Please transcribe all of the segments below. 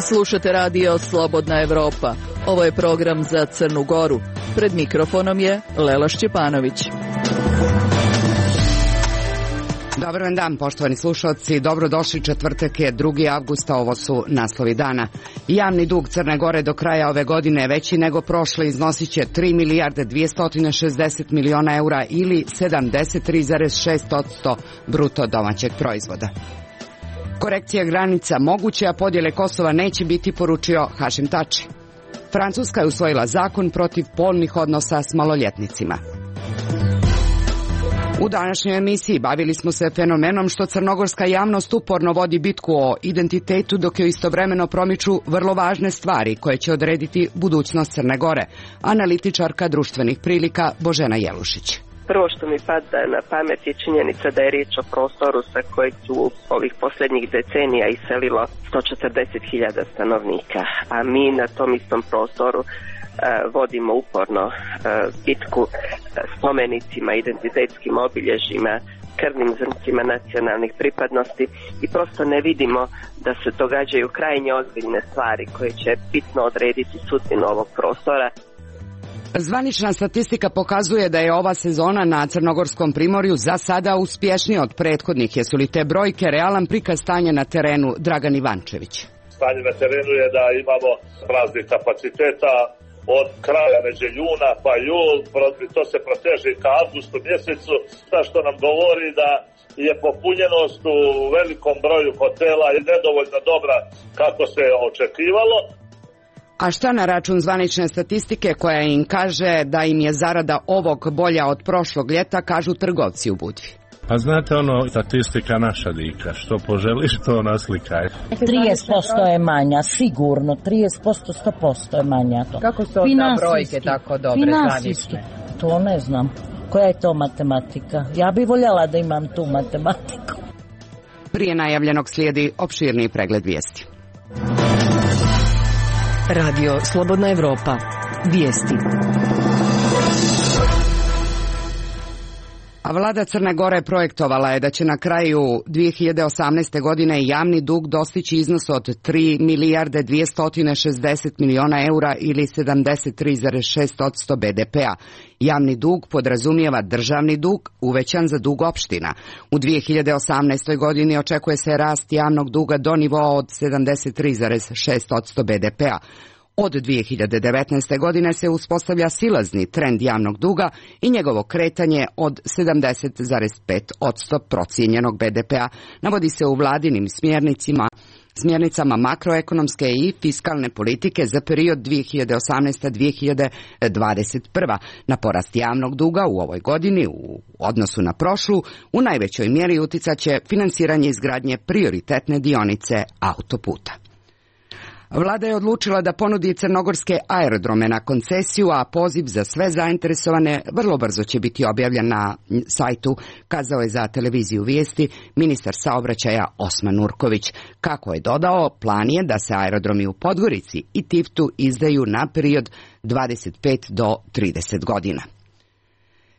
Slušate radio Slobodna Evropa. Ovo je program za Crnu Goru. Pred mikrofonom je Lela Šćepanović. Dobar vam dan, poštovani slušalci. Dobrodošli, četvrtak je 2. avgusta, ovo su naslovi dana. Javni dug Crne Gore do kraja ove godine je veći nego prošle, iznosit će 3 milijarde 260 miliona eura ili 73,6% bruto domaćeg proizvoda. Korekcija granica moguće, a podjele Kosova neće biti, poručio Hašim Tači. Francuska je usvojila zakon protiv polnih odnosa s maloljetnicima. U današnjoj emisiji bavili smo se fenomenom što crnogorska javnost uporno vodi bitku o identitetu, dok joj istovremeno promiču vrlo važne stvari koje će odrediti budućnost Crne Gore. Analitičarka društvenih prilika Božena Jelušić. Prvo što mi pada na pamet je činjenica da je riječ o prostoru sa kojeg su ovih posljednjih decenija iselilo 140.000 stanovnika, a mi na tom istom prostoru vodimo uporno bitku spomenicima, identitetskim obilježjima, krvnim zrncima nacionalnih pripadnosti i prosto ne vidimo da se događaju krajnje ozbiljne stvari koje će bitno odrediti sudbinu ovog prostora. Zvanična statistika pokazuje da je ova sezona na Crnogorskom primorju za sada uspješnija od prethodnih. Jesu li te brojke realan prikaz stanja na terenu? Dragan Ivančević. Stanje na terenu je da imamo praznih kapaciteta od kraja međuljuna pa jul, to se proteže ka avgustu mjesecu, što nam govori da je popunjenost u velikom broju hotela i nedovoljno dobra kako se očekivalo. A šta na račun zvanične statistike koja im kaže da im je zarada ovog bolja od prošlog ljeta, kažu trgovci u Budvi? Pa znate statistika naša dika, što poželiš to naslikaj. 30% je manja, sigurno, 30%, 100% je manja to. Kako su ta brojke tako dobre zvanične? To ne znam. Koja je to matematika? Ja bih voljela da imam tu matematiku. Prije najavljenog slijedi opširniji pregled vijesti. Radio Slobodna Evropa. Vijesti. A vlada Crne Gore projektovala je da će na kraju 2018. godine javni dug dostići iznos od 3 milijarde 260 miliona eura ili 73,6% BDP-a. Javni dug podrazumijeva državni dug uvećan za dug opština. U 2018. godini očekuje se rast javnog duga do nivoa od 73,6% BDP-a. Od 2019. godine se uspostavlja silazni trend javnog duga i njegovo kretanje od 70,5% procijenjenog BDP-a, navodi se u vladinim smjernicama makroekonomske i fiskalne politike za period 2018-2021. Na porast javnog duga u ovoj godini u odnosu na prošlu u najvećoj mjeri uticat će finansiranje izgradnje prioritetne dionice autoputa. Vlada je odlučila da ponudi crnogorske aerodrome na koncesiju, a poziv za sve zainteresovane vrlo brzo će biti objavljen na sajtu, kazao je za televiziju Vijesti ministar saobraćaja Osman Urković. Kako je dodao, plan je da se aerodromi u Podgorici i Tivtu izdaju na period 25 do 30 godina.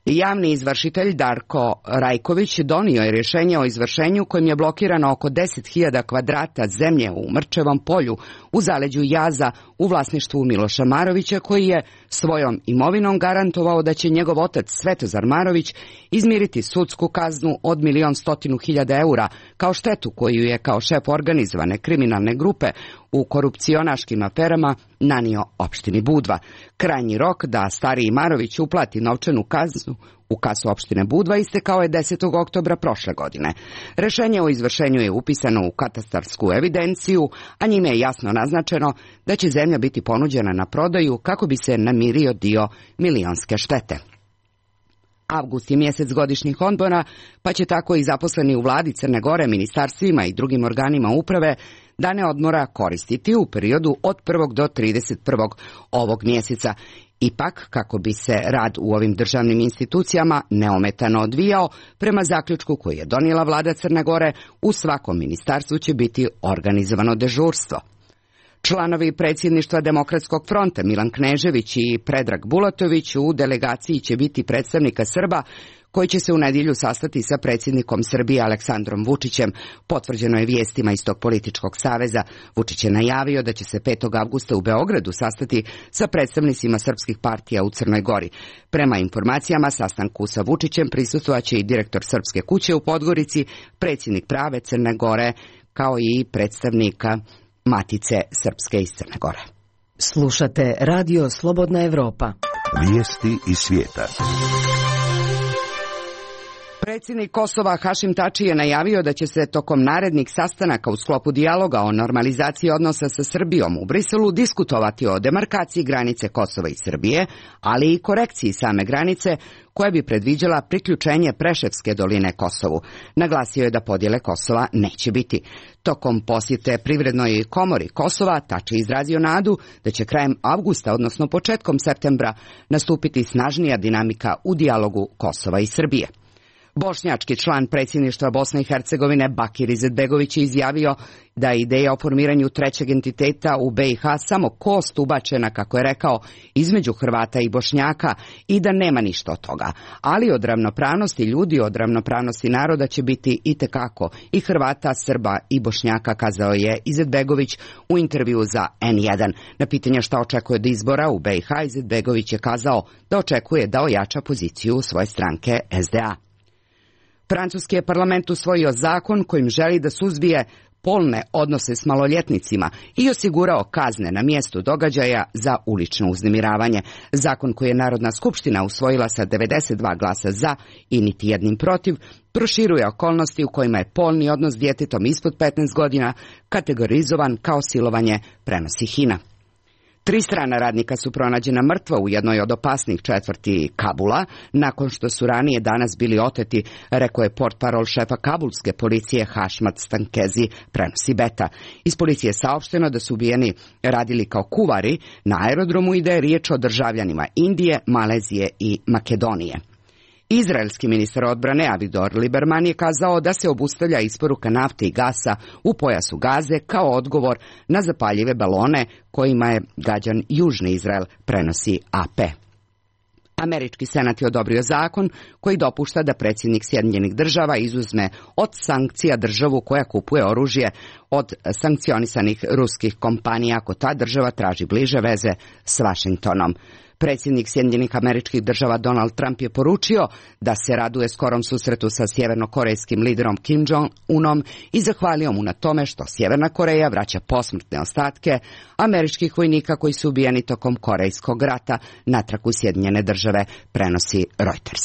Javni izvršitelj Darko Rajković donio je rješenje o izvršenju kojim je blokirano oko 10.000 kvadrata zemlje u Mrčevom polju u zaleđu Jaza u vlasništvu Miloša Marovića, koji je svojom imovinom garantovao da će njegov otac Svetozar Marović izmiriti sudsku kaznu od 1.100.000 eura kao štetu koju je kao šef organizovane kriminalne grupe u korupcionaškim aferama nanio opštini Budva. Krajnji rok da stariji Marović uplati novčanu kaznu u kasu opštine Budva istekao je 10. oktobra prošle godine. Rješenje o izvršenju je upisano u katastarsku evidenciju, a njime je jasno naznačeno da će zemlja biti ponuđena na prodaju kako bi se namirio dio milionske štete. Avgust je mjesec godišnjih odmora, pa će tako i zaposleni u vladi Crne Gore, ministarstvima i drugim organima uprave dane odmora koristiti u periodu od 1. do 31. ovog mjeseca. Ipak, kako bi se rad u ovim državnim institucijama neometano odvijao, prema zaključku koji je donijela vlada Crne Gore, u svakom ministarstvu će biti organizovano dežurstvo. Članovi predsjedništva Demokratskog fronta Milan Knežević i Predrag Bulatović, u delegaciji će biti predstavnika Srba koji će se u nedjelju sastati sa predsjednikom Srbije Aleksandrom Vučićem, potvrđeno je vijestima iz tog političkog saveza. Vučić je najavio da će se 5. avgusta u Beogradu sastati sa predstavnicima srpskih partija u Crnoj Gori. Prema informacijama, sastanku sa Vučićem prisustvovaće i direktor Srpske kuće u Podgorici, predsjednik Prave Crne Gore, kao i predstavnika Matice Srpske iz Crne Gore. Slušate Radio Slobodna Evropa. Vijesti iz svijeta. Predsjednik Kosova Hašim Tači je najavio da će se tokom narednih sastanaka u sklopu dijaloga o normalizaciji odnosa sa Srbijom u Briselu diskutovati o demarkaciji granice Kosova i Srbije, ali i korekciji same granice koja bi predviđala priključenje Preševske doline Kosovu. Naglasio je da podjele Kosova neće biti. Tokom posjete Privrednoj komori Kosova, Tači izrazio nadu da će krajem avgusta, odnosno početkom septembra, nastupiti snažnija dinamika u dijalogu Kosova i Srbije. Bošnjački član predsjedništva Bosne i Hercegovine Bakir Izetbegović je izjavio da je ideja o formiranju trećeg entiteta u BiH samo kost ubačena, kako je rekao, između Hrvata i Bošnjaka i da nema ništa od toga. Ali od ravnopravnosti ljudi, od ravnopravnosti naroda će biti itekako i Hrvata, Srba i Bošnjaka, kazao je Izetbegović u intervju za N1. Na pitanje šta očekuje od izbora u BiH, Izetbegović je kazao da očekuje da ojača poziciju svoje stranke SDA. Francuski je parlament usvojio zakon kojim želi da suzbije polne odnose s maloljetnicima i osigurao kazne na mjestu događaja za ulično uznemiravanje. Zakon koji je Narodna skupština usvojila sa 92 glasa za i niti jednim protiv, proširuje okolnosti u kojima je polni odnos s djetetom ispod 15 godina kategorizovan kao silovanje, prenosi HINA. 3 strana radnika su pronađena mrtva u jednoj od opasnih četvrti Kabula, nakon što su ranije danas bili oteti, rekao je portparol šefa kabulske policije Hašmat Stankezi, prenosi Beta. Iz policije je saopšteno da su ubijeni radili kao kuvari na aerodromu i da je riječ o državljanima Indije, Malezije i Makedonije. Izraelski ministar odbrane Avigdor Lieberman je kazao da se obustavlja isporuka nafte i gasa u pojasu Gaze kao odgovor na zapaljive balone kojima je gađan Južni Izrael, prenosi AP. Američki senat je odobrio zakon koji dopušta da predsjednik Sjedinjenih Država izuzme od sankcija državu koja kupuje oružje od sankcionisanih ruskih kompanija ako ta država traži bliže veze s Vašingtonom. Predsjednik Sjedinjenih Američkih Država Donald Trump je poručio da se raduje skorom susretu sa sjevernokorejskim liderom Kim Jong-unom i zahvalio mu na tome što Sjeverna Koreja vraća posmrtne ostatke američkih vojnika koji su ubijeni tokom Korejskog rata natrag u Sjedinjene Države, prenosi Reuters.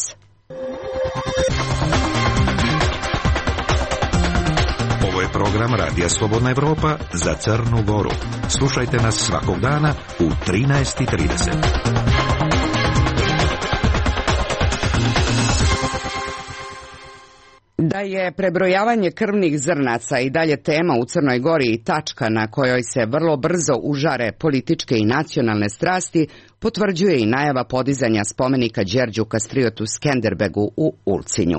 Ovo je program Radija Slobodna Evropa za Crnu Goru. Slušajte nas svakog dana u 13:30. Da je prebrojavanje krvnih zrnaca i dalje tema u Crnoj Gori i tačka na kojoj se vrlo brzo užare političke i nacionalne strasti, potvrđuje i najava podizanja spomenika Đerđu Kastriotu Skenderbegu u Ulcinju.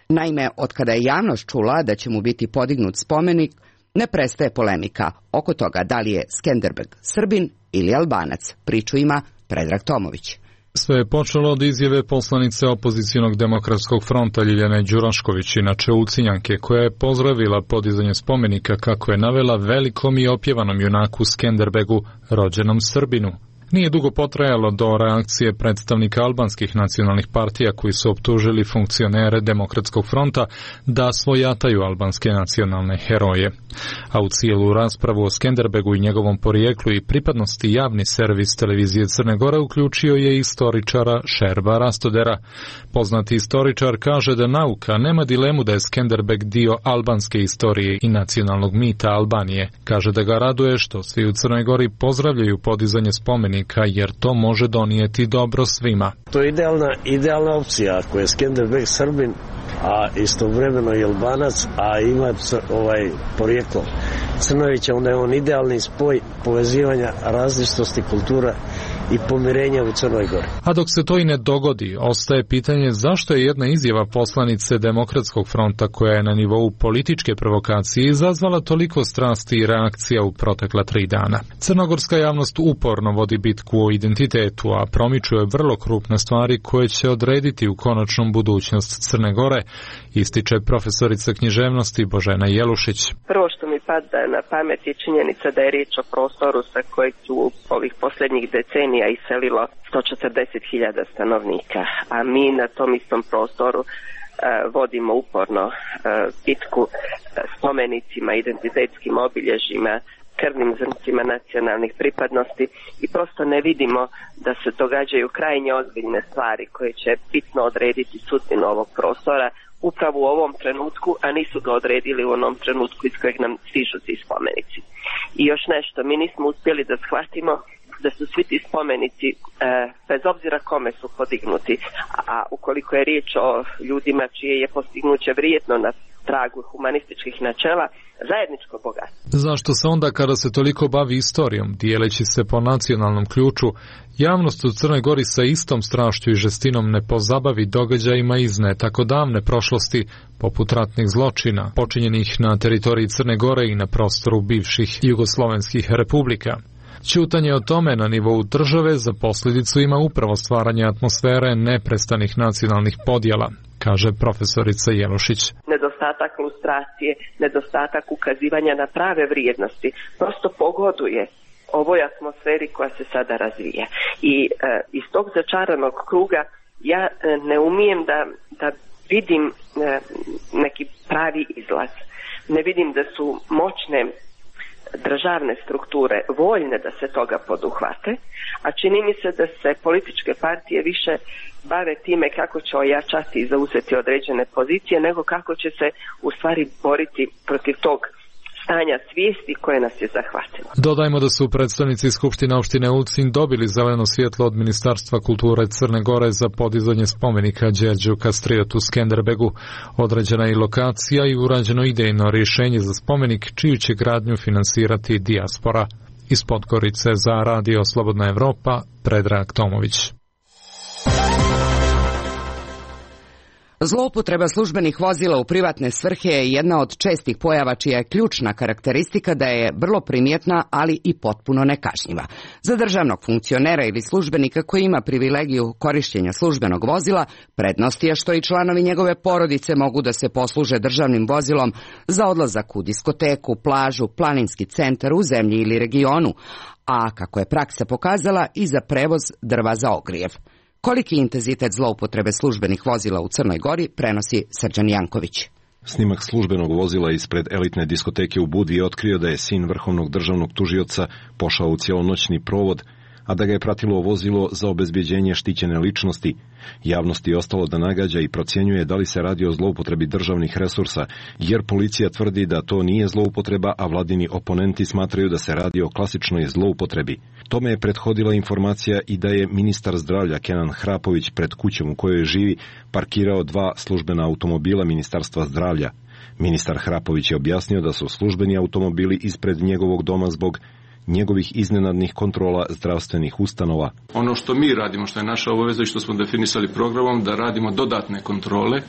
Naime, otkada je javnost čula da će mu biti podignut spomenik, ne prestaje polemika oko toga da li je Skenderbeg Srbin ili Albanac. Priču ima Predrag Tomović. Sve je počelo od izjave poslanice opozicionog demokratskog fronta Ljiljane Đurašković, inače Ulcinjanke, koja je pozdravila podizanje spomenika, kako je navela, velikom i opjevanom junaku Skenderbegu, rođenom Srbinu. Nije dugo potrajalo do reakcije predstavnika albanskih nacionalnih partija koji su optužili funkcionere Demokratskog fronta da svojataju albanske nacionalne heroje. A u cijelu raspravu o Skenderbegu i njegovom porijeklu i pripadnosti javni servis televizije Crne Gore uključio je istoričara Šerba Rastodera. Poznati istoričar kaže da nauka nema dilemu da je Skenderbeg dio albanske istorije i nacionalnog mita Albanije. Kaže da ga raduje što svi u Crnoj Gori pozdravljaju podizanje spomenika jer to može donijeti dobro svima. To je idealna opcija ako je Skenderbeg Srbin, a istovremeno i Albanac, a ima porijeklo Crnovića, onda je on idealni spoj povezivanja različitosti kultura i pomirenja u Crnoj Gori. A dok se to i ne dogodi, ostaje pitanje zašto je jedna izjava poslanice Demokratskog fronta koja je na nivou političke provokacije izazvala toliko strasti i reakcija u protekla 3 dana. Crnogorska javnost uporno vodi bitku o identitetu, a promičuje vrlo krupne stvari koje će odrediti u konačnom budućnost Crne Gore, ističe profesorica književnosti Božena Jelušić. Prvo što mi pada na pamet je činjenica da je riječ o prostoru sa kojeg su ovih posljednjih decenija iselilo 140.000 stanovnika, a mi na tom istom prostoru vodimo uporno bitku spomenicima, identitetskim obilježjima, krvnim zrncima nacionalnih pripadnosti i prosto ne vidimo da se događaju krajnje ozbiljne stvari koje će bitno odrediti sudbinu ovog prostora upravo u ovom trenutku, a nisu ga odredili u onom trenutku iz kojeg nam stižu ti spomenici. I još nešto, mi nismo uspjeli da shvatimo da su svi ti spomenici, bez obzira kome su podignuti, a ukoliko je riječ o ljudima čije je postignuće vrijedno na tragu humanističkih načela, zajedničko bogatstvo. Zašto se onda kada se toliko bavi istorijom, dijeleći se po nacionalnom ključu, javnost u Crnoj Gori sa istom strašću i žestinom ne pozabavi događajima iz ne tako davne prošlosti, poput ratnih zločina, počinjenih na teritoriji Crne Gore i na prostoru bivših jugoslovenskih republika? Ćutanje o tome na nivou države za posljedicu ima upravo stvaranje atmosfere neprestanih nacionalnih podjela, kaže profesorica Jelušić. Nedostatak lustracije, nedostatak ukazivanja na prave vrijednosti prosto pogoduje ovoj atmosferi koja se sada razvija. I iz tog začaranog kruga ja ne umijem da vidim neki pravi izlaz. Ne vidim da su moćne državne strukture voljne da se toga poduhvate, a čini mi se da se političke partije više bave time kako će ojačati i zauzeti određene pozicije, nego kako će se u stvari boriti protiv tog stanja svijesti koje nas je zahvatilo. Dodajmo da su predstavnici Skupštine opštine Ulcinj dobili zeleno svjetlo od Ministarstva kulture Crne Gore za podizanje spomenika Đerđu Kastriotu Skenderbegu. Određena je lokacija i urađeno idejno rješenje za spomenik čiju će gradnju finansirati dijaspora. Iz Podgorice za Radio Slobodna Evropa, Predrag Tomović. Zloupotreba službenih vozila u privatne svrhe je jedna od čestih pojava čija je ključna karakteristika da je vrlo primjetna, ali i potpuno nekažnjiva. Za državnog funkcionera ili službenika koji ima privilegiju korištenja službenog vozila, prednost je što i članovi njegove porodice mogu da se posluže državnim vozilom za odlazak u diskoteku, plažu, planinski centar u zemlji ili regionu, a kako je praksa pokazala i za prevoz drva za ogrijev. Koliki intenzitet zloupotrebe službenih vozila u Crnoj Gori prenosi Srđan Janković. Snimak službenog vozila ispred elitne diskoteke u Budvi je otkrio da je sin vrhovnog državnog tužioca pošao u cijelonoćni provod, a da ga je pratilo vozilo za obezbjeđenje štićene ličnosti. Javnosti je ostalo da nagađa i procjenjuje da li se radi o zloupotrebi državnih resursa, jer policija tvrdi da to nije zloupotreba, a vladini oponenti smatraju da se radi o klasičnoj zloupotrebi. Tome je prethodila informacija i da je ministar zdravlja Kenan Hrapović pred kućom u kojoj živi parkirao 2 službena automobila Ministarstva zdravlja. Ministar Hrapović je objasnio da su službeni automobili ispred njegovog doma zbog njegovih iznenadnih kontrola zdravstvenih ustanova. Ono što mi radimo, što je naša obaveza i što smo definisali programom, da radimo dodatne kontrole,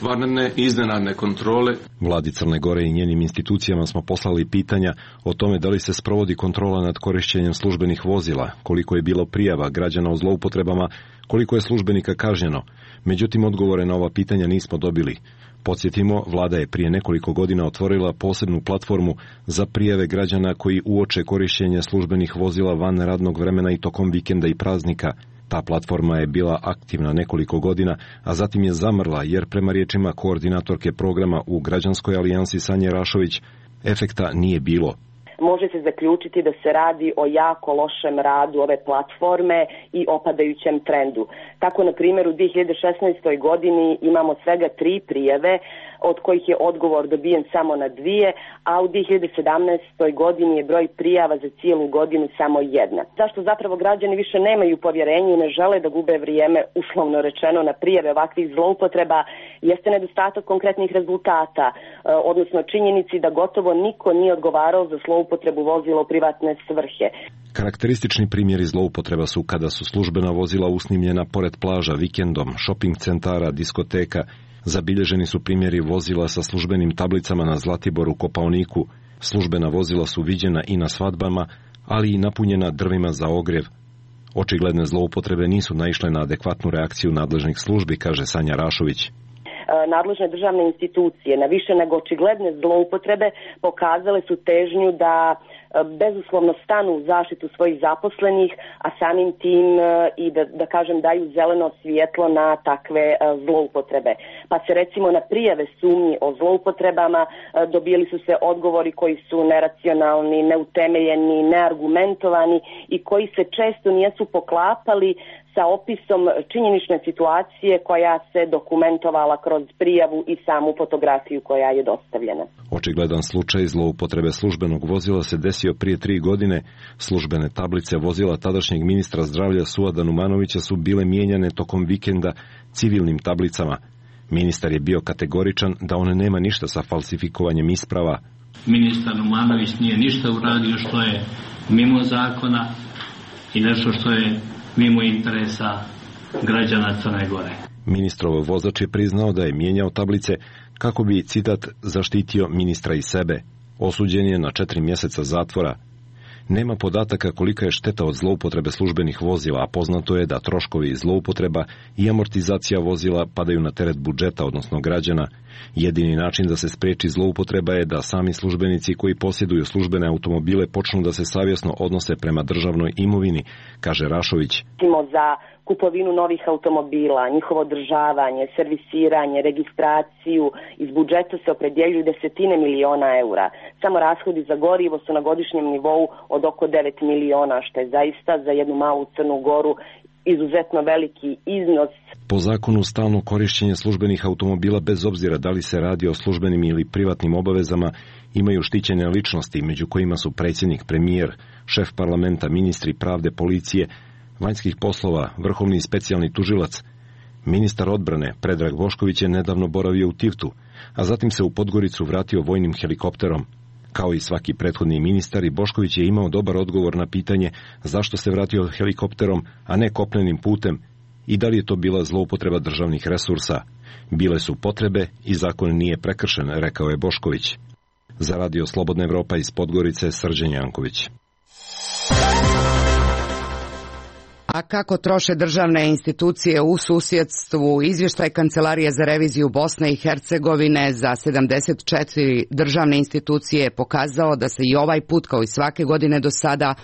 vanredne i iznenadne kontrole. Vladi Crne Gore i njenim institucijama smo poslali pitanja o tome da li se sprovodi kontrola nad korištenjem službenih vozila, koliko je bilo prijava građana o zloupotrebama, koliko je službenika kažnjeno. Međutim, odgovore na ova pitanja nismo dobili. Podsjetimo, vlada je prije nekoliko godina otvorila posebnu platformu za prijave građana koji uoče korištenje službenih vozila van radnog vremena i tokom vikenda i praznika. Ta platforma je bila aktivna nekoliko godina, a zatim je zamrla jer prema riječima koordinatorke programa u Građanskoj alijansi Sanje Rašović, efekta nije bilo. Može se zaključiti da se radi o jako lošem radu ove platforme i opadajućem trendu. Tako, na primjer, u 2016. godini imamo svega 3 prijave, od kojih je odgovor dobijen samo na 2, a u 2017. godini je broj prijava za cijelu godinu samo 1. Zašto zapravo građani više nemaju povjerenje i ne žele da gube vrijeme, uslovno rečeno, na prijave ovakvih zloupotreba, jeste nedostatak konkretnih rezultata, odnosno činjenici da gotovo niko nije odgovarao za zloupotrebu zloupotrebu vozila u privatne svrhe. Karakteristični primjeri zloupotreba su kada su službena vozila usnimljena pored plaža, vikendom, šoping centara, diskoteka. Zabilježeni su primjeri vozila sa službenim tablicama na Zlatiboru, Kopaoniku. Službena vozila su viđena i na svadbama, ali i napunjena drvima za ogrjev. Očigledne zloupotrebe nisu naišle na adekvatnu reakciju nadležnih službi, kaže Sanja Rašović. Nadležne državne institucije na više nego očigledne zloupotrebe pokazale su težnju da bezuslovno stanu u zaštitu svojih zaposlenih, a samim tim i da kažem daju zeleno svjetlo na takve zloupotrebe. Pa se recimo na prijave sumnji o zloupotrebama dobili su se odgovori koji su neracionalni, neutemeljeni, neargumentovani i koji se često nisu poklapali sa opisom činjenične situacije koja se dokumentovala kroz prijavu i samu fotografiju koja je dostavljena. Očigledan slučaj zloupotrebe službenog vozila se desio prije 3 godine. Službene tablice vozila tadašnjeg ministra zdravlja Suada Numanovića su bile mijenjane tokom vikenda civilnim tablicama. Ministar je bio kategoričan da on nema ništa sa falsifikovanjem isprava. Ministar Numanović nije ništa uradio što je mimo zakona i nešto što je mimo interesa građana Crne Gore. Ministrov vozač je priznao da je mijenjao tablice kako bi, citat, zaštitio ministra i sebe. Osuđen je na 4 mjeseca zatvora. Nema podataka kolika je šteta od zloupotrebe službenih vozila, a poznato je da troškovi zloupotreba i amortizacija vozila padaju na teret budžeta, odnosno građana. Jedini način da se spriječi zloupotreba je da sami službenici koji posjeduju službene automobile počnu da se savjesno odnose prema državnoj imovini, kaže Rašović. Za kupovinu novih automobila, njihovo održavanje, servisiranje, registraciju, iz budžeta se opredjeljuju desetine miliona eura. Samo rashodi za gorivo su na godišnjem nivou od oko 9 miliona, što je zaista za jednu malu Crnu Goru izuzetno veliki iznos. Po zakonu stalno korišćenje službenih automobila, bez obzira da li se radi o službenim ili privatnim obavezama, imaju štićene ličnosti, među kojima su predsjednik, premijer, šef parlamenta, ministri pravde, policije, vanjskih poslova, vrhovni i specijalni tužilac. Ministar odbrane Predrag Bošković je nedavno boravio u Tivtu, a zatim se u Podgoricu vratio vojnim helikopterom. Kao i svaki prethodni ministar, i Bošković je imao dobar odgovor na pitanje zašto se vratio helikopterom, a ne kopnenim putem, i da li je to bila zloupotreba državnih resursa. Bile su potrebe i zakon nije prekršen, rekao je Bošković. Za Radio Slobodna Evropa iz Podgorice, Srđan Janković. A kako troše državne institucije u susjedstvu? Izvještaj Kancelarije za reviziju Bosne i Hercegovine za 74 državne institucije je pokazao da se i ovaj put, kao i svake godine do sada,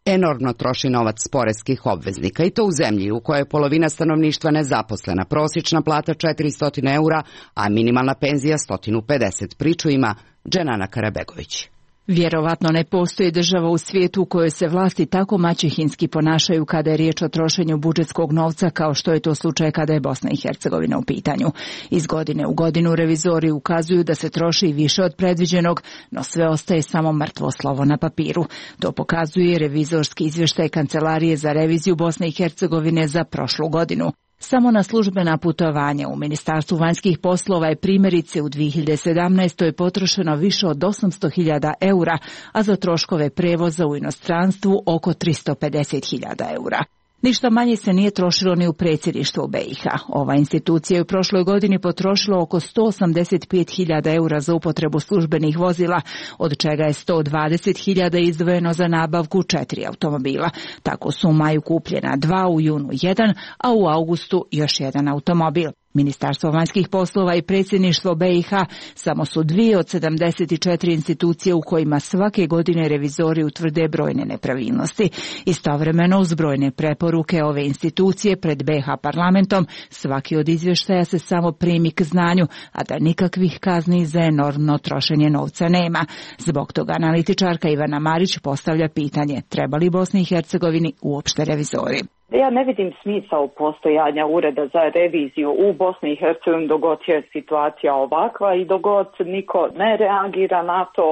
enormno troši novac poreskih obveznika. I to u zemlji u kojoj je polovina stanovništva nezaposlena, prosječna plata 400 eura, a minimalna penzija 150. Priču ima Dženana Karabegović. Vjerovatno ne postoji država u svijetu u kojoj se vlasti tako maćehinski ponašaju kada je riječ o trošenju budžetskog novca kao što je to slučaj kada je Bosna i Hercegovina u pitanju. Iz godine u godinu revizori ukazuju da se troši više od predviđenog, no sve ostaje samo mrtvo slovo na papiru. To pokazuje revizorski izvještaj Kancelarije za reviziju Bosne i Hercegovine za prošlu godinu. Samo na službena putovanja u Ministarstvu vanjskih poslova je primjerice u 2017. potrošeno više od 800.000 eura, a za troškove prevoza u inostranstvu oko 350.000 eura. Ništa manje se nije trošilo ni u predsjedništvu BiH. Ova institucija je u prošloj godini potrošila oko 185.000 eura za upotrebu službenih vozila, od čega je 120.000 izdvojeno za nabavku 4 automobila. Tako su u maju kupljena 2, u junu 1, a u augustu još 1 automobil. Ministarstvo vanjskih poslova i predsjedništvo BiH samo su 2 od 74 institucije u kojima svake godine revizori utvrde brojne nepravilnosti. Istovremeno, uz brojne preporuke ove institucije pred BiH parlamentom, svaki od izvještaja se samo primi k znanju, a da nikakvih kazni za enormno trošenje novca nema. Zbog toga analitičarka Ivana Marić postavlja pitanje: treba li Bosni i Hercegovini uopšte revizori? Ja ne vidim smisao postojanja ureda za reviziju u Bosni i Hercegovini dok god je situacija ovakva i dok god niko ne reagira na to,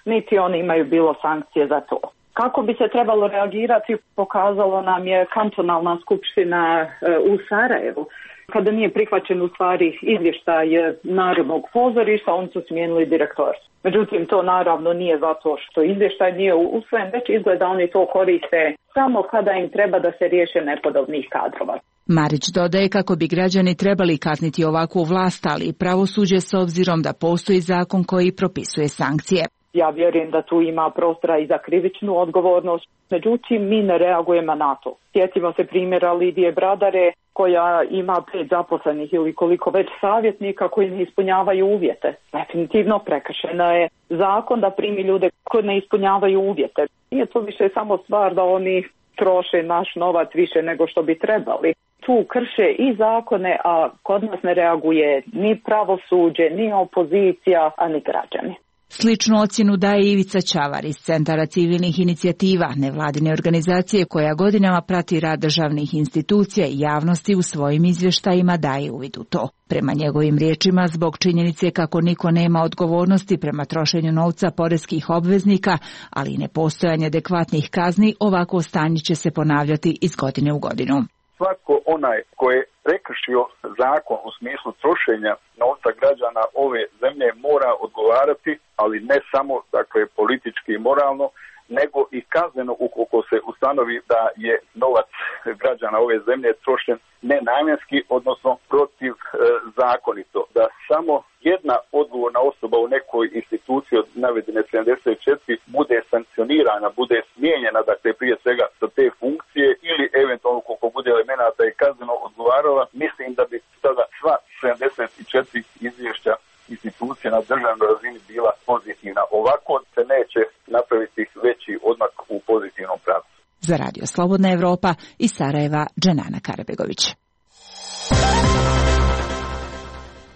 niti oni imaju bilo sankcije za to. Kako bi se trebalo reagirati pokazalo nam je kantonalna skupština u Sarajevu, Kada nije prihvaćen u stvari izvještaj Narodnog pozorišta, oni su smijenili direktora. Međutim, to naravno nije zato što izvještaj nije usvojen, već izgleda oni to koriste samo kada im treba da se riješe nepodobnih kadrova. Marić dodaje kako bi građani trebali kazniti ovakvu vlast, ali i pravosuđe s obzirom da postoji zakon koji propisuje sankcije. Ja vjerujem da tu ima prostora i za krivičnu odgovornost, međutim mi ne reagujemo na to. Sjetimo se primjera Lidije Bradare koja ima 5 zaposlenih ili koliko već savjetnika koji ne ispunjavaju uvjete. Definitivno prekršena je zakon da primi ljude koji ne ispunjavaju uvjete. Nije to više samo stvar da oni troše naš novac više nego što bi trebali. Tu krše i zakone, a kod nas ne reaguje ni pravosuđe, ni opozicija, a ni građani. Sličnu ocjenu daje Ivica Ćavar iz Centara civilnih inicijativa, nevladine organizacije koja godinama prati rad državnih institucija i javnosti u svojim izvještajima daje uvid u to. Prema njegovim riječima, zbog činjenice kako niko nema odgovornosti prema trošenju novca poreskih obveznika, ali i nepostojanje adekvatnih kazni, ovako stanje će se ponavljati iz godine u godinu. Svako onaj koji je prekršio zakon u smislu trošenja novca građana ove zemlje mora odgovarati, ali ne samo politički i moralno, nego i kazneno ukoliko se ustanovi da je novac građana ove zemlje trošen nenamjenski, odnosno protiv zakonito. Da samo jedna odgovorna osoba u nekoj instituciji od navedene 74 bude sankcionirana, bude smijenjena, prije svega sa te funkcije ili eventualno koliko bude elemenata i kazneno odgovarala, mislim da bi sada sva 74 izvješća institucija na državnoj razini bila pozitivna. Ovako se neće napraviti veći odmak u pozitivnom pravcu. Za Radio Slobodna Evropa iz Sarajeva, Dženana Karabegović.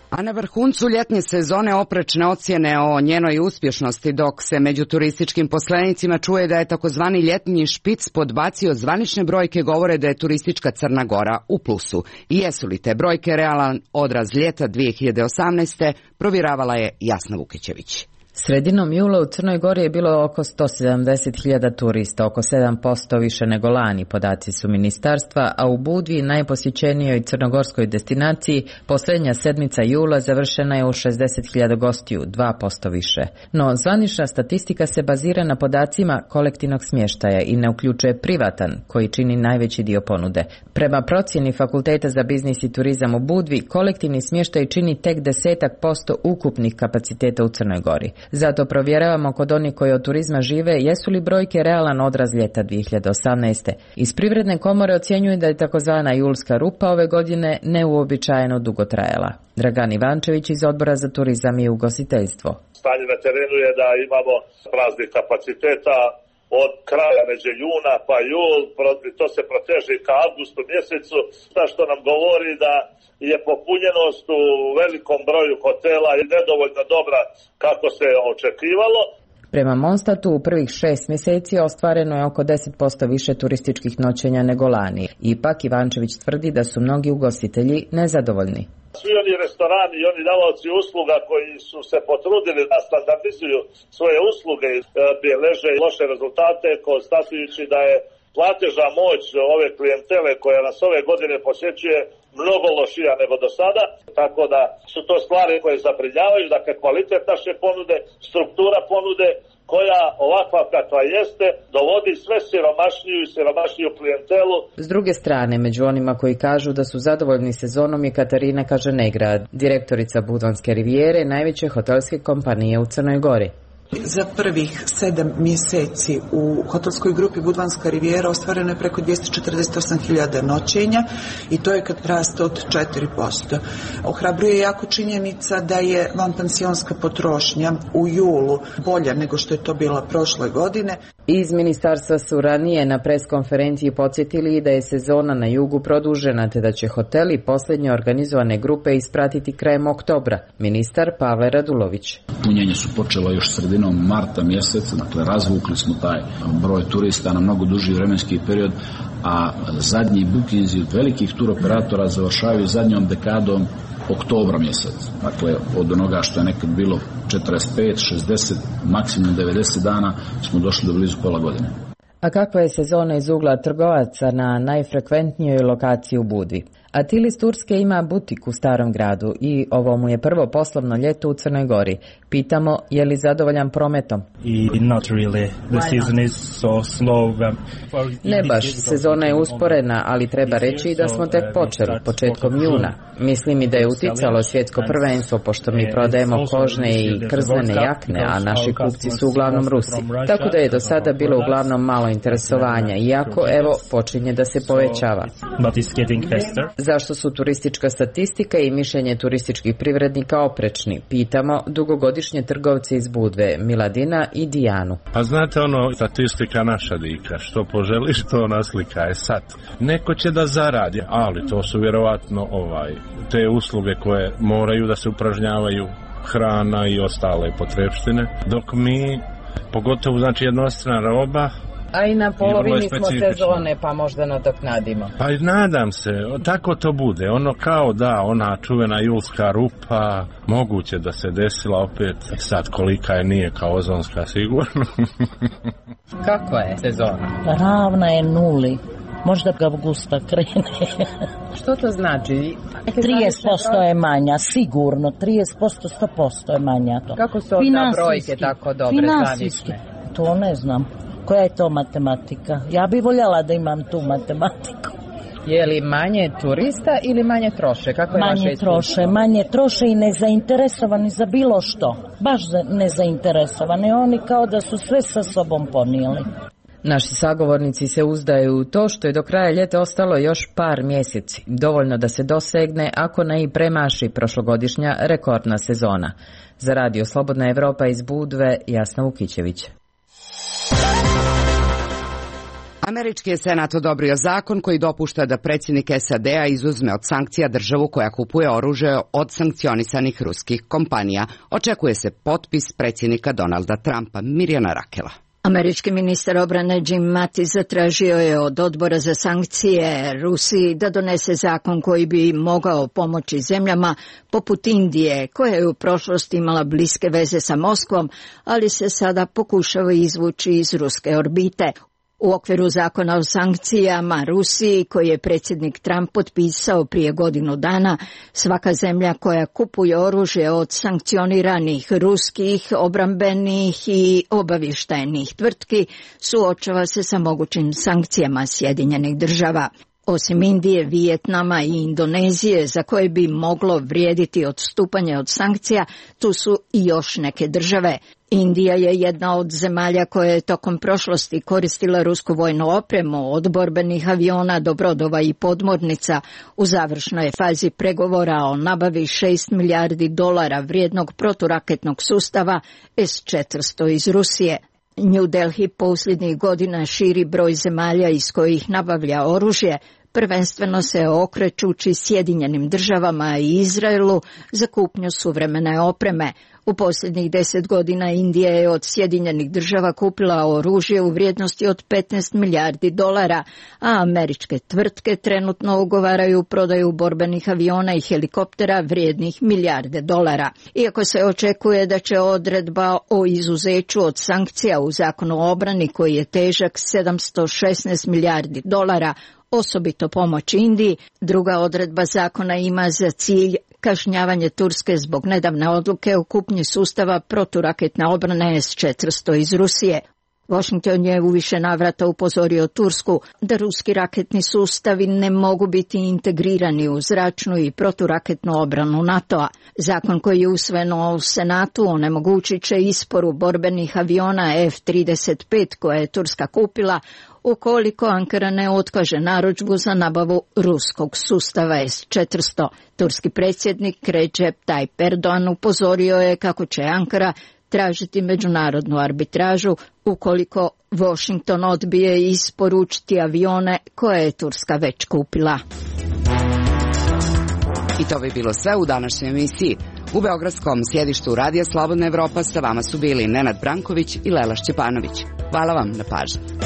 A na vrhuncu ljetne sezone oprečne ocjene o njenoj uspješnosti, dok se među turističkim poslenicima čuje da je takozvani ljetni špic podbacio zvanične brojke, govore da je turistička Crna Gora u plusu. I jesu li te brojke realan odraz ljeta 2018. provjeravala je Jasna Vukićević. Sredinom jula u Crnoj Gori je bilo oko 170.000 turista, oko 7% više nego lani, podaci su ministarstva, a u Budvi, najposjećenijoj crnogorskoj destinaciji, posljednja sedmica jula završena je u 60.000 gostiju, 2% više. No, zvanična statistika se bazira na podacima kolektivnog smještaja i ne uključuje privatan, koji čini najveći dio ponude. Prema procjeni Fakulteta za biznis i turizam u Budvi, kolektivni smještaj čini tek 10% ukupnih kapaciteta u Crnoj Gori. Zato provjeravamo kod onih koji od turizma žive jesu li brojke realan odraz ljeta 2018. Iz Privredne komore ocjenjuju da je takozvana julska rupa ove godine neuobičajeno dugo trajala. Dragan Ivančević iz Odbora za turizam i ugostiteljstvo. Stanje na terenu je da imamo praznih kapaciteta od kraja među juna pa jul, to se proteže ka avgustu mjesecu, što nam govori da je popunjenost u velikom broju hotela i nedovoljno dobra kako se očekivalo. Prema Monstatu u prvih 6 mjeseci ostvareno je oko 10% više turističkih noćenja nego lani. Ipak Ivančević tvrdi da su mnogi ugostitelji nezadovoljni. Svi oni restorani i oni davaoci usluga koji su se potrudili da standardizuju svoje usluge beleže loše rezultate, konstatujući da je platežna moć ove klijentele koja nas ove godine posjećuje mnogo lošija nego do sada, tako da su to stvari koje zabrinjavaju, dakle kvalitet naše ponude, struktura ponude koja ovakva kakva jeste dovodi sve siromašniju i siromašniju klijentelu. S druge strane, među onima koji kažu da su zadovoljni sezonom je Katarina Kažanegrad, direktorica Budvanske rivijere, najveće hotelske kompanije u Crnoj Gori. Za prvih 7 mjeseci u hotelskoj grupi Budvanska rivijera ostvareno je preko 248.000 noćenja i to je rast od 4%. Ohrabruje jako činjenica da je vanpansionska potrošnja u julu bolja nego što je to bila prošle godine. Iz ministarstva su ranije na preskonferenciji podsjetili da je sezona na jugu produžena te da će hoteli posljednje organizovane grupe ispratiti krajem oktobra. Ministar Pavle Radulović. Punjenje su počelo još sredinom marta mjeseca, dakle razvukli smo taj broj turista na mnogo duži vremenski period, a zadnji bukinzi od velikih turoperatora završavaju zadnjom dekadom oktobra mjesec. Dakle, od onoga što je nekad bilo 45, 60, maksimum 90 dana smo došli do blizu pola godine. A kakva je sezona iz ugla trgovaca na najfrekventnijoj lokaciji u Budvi? Atil iz Turske ima butik u Starom gradu i ovo mu je prvo poslovno ljeto u Crnoj Gori. Pitamo je li zadovoljan prometom. Ne baš, sezona je usporena, ali treba reći da smo tek počeli, početkom juna. Mislim i da je uticalo svjetsko prvenstvo, pošto mi prodajemo kožne i krzene jakne, a naši kupci su uglavnom Rusi. Tako da je do sada bilo uglavnom malo interesovanja, iako, evo, počinje da se povećava. Zašto su turistička statistika i mišljenje turističkih privrednika oprečni? Pitamo dugogodišnje trgovce iz Budve, Miladina i Dijanu. A znate statistika naša dika, što poželiš to naslika je sad. Neko će da zaradi, ali to su vjerovatno te usluge koje moraju da se upražnjavaju, hrana i ostale potrepštine, dok mi, pogotovo jednostrana roba, a i na polovini smo sezone, pa možda nadoknadimo. Pa nadam se, tako to bude. Kao ona čuvena julska rupa, moguće da se desila opet, sad kolika je nije kao ozonska sigurno. Kako je sezona? Ravna je nuli. Možda ga avgusta krene. Što to znači? 30% je manja, sigurno. 30%, 100% je manja. To. Kako su onda brojke tako dobre zavisne? To ne znam. Koja je to matematika? Ja bih voljela da imam tu matematiku. Je li manje turista ili manje troše? Kako je manje troše i nezainteresovani za bilo što. Baš nezainteresovani. Oni kao da su sve sa sobom ponijeli. Naši sagovornici se uzdaju u to što je do kraja ljeta ostalo još par mjeseci. Dovoljno da se dosegne, ako ne i premaši prošlogodišnja rekordna sezona. Za Radio Slobodna Evropa iz Budve, Jasna Vukićević. Američki je Senat odobrio zakon koji dopušta da predsjednik SAD-a izuzme od sankcija državu koja kupuje oružje od sankcionisanih ruskih kompanija. Očekuje se potpis predsjednika Donalda Trumpa. Mirjana Rakela. Američki ministar obrane Jim Mattis zatražio je od odbora za sankcije Rusiji da donese zakon koji bi mogao pomoći zemljama poput Indije, koja je u prošlosti imala bliske veze sa Moskvom, ali se sada pokušava izvući iz ruske orbite. U okviru zakona o sankcijama Rusiji, koji je predsjednik Trump potpisao prije godinu dana, svaka zemlja koja kupuje oružje od sankcioniranih ruskih, obrambenih i obavještajnih tvrtki suočava se sa mogućim sankcijama Sjedinjenih država. Osim Indije, Vijetnama i Indonezije, za koje bi moglo vrijediti odstupanje od sankcija, tu su i još neke države. Indija je jedna od zemalja koja je tokom prošlosti koristila rusku vojnu opremu, od borbenih aviona do brodova i podmornica. U završnoj je fazi pregovora o nabavi $6 milijardi vrijednog proturaketnog sustava S-400 iz Rusije. New Delhi posljednjih godina širi broj zemalja iz kojih nabavlja oružje, prvenstveno se okrećući Sjedinjenim državama i Izraelu za kupnju suvremene opreme. U posljednjih 10 godina Indija je od Sjedinjenih država kupila oružje u vrijednosti od $15 milijardi, a američke tvrtke trenutno ugovaraju prodaju borbenih aviona i helikoptera vrijednih milijarde dolara. Iako se očekuje da će odredba o izuzeću od sankcija u zakonu o obrani, koji je težak $716 milijardi, osobito pomoć Indiji, druga odredba zakona ima za cilj kažnjavanje Turske zbog nedavne odluke o kupnji sustava proturaketne obrane S-400 iz Rusije. Washington je u više navrata upozorio Tursku da ruski raketni sustavi ne mogu biti integrirani u zračnu i proturaketnu obranu NATO-a. Zakon koji je usvojen u Senatu onemogućit će isporu borbenih aviona F-35 koje je Turska kupila, ukoliko Ankara ne otkaže narudžbu za nabavu ruskog sustava S-400. Turski predsjednik Recep Tayyip Erdogan upozorio je kako će Ankara tražiti međunarodnu arbitražu ukoliko Washington odbije isporučiti avione koje je Turska već kupila. I to bi bilo sve u današnjoj emisiji. U beogradskom sjedištu Radija Slobodna Evropa sa vama su bili Nenad Branković i Lela Šćepanović. Hvala vam na pažnji.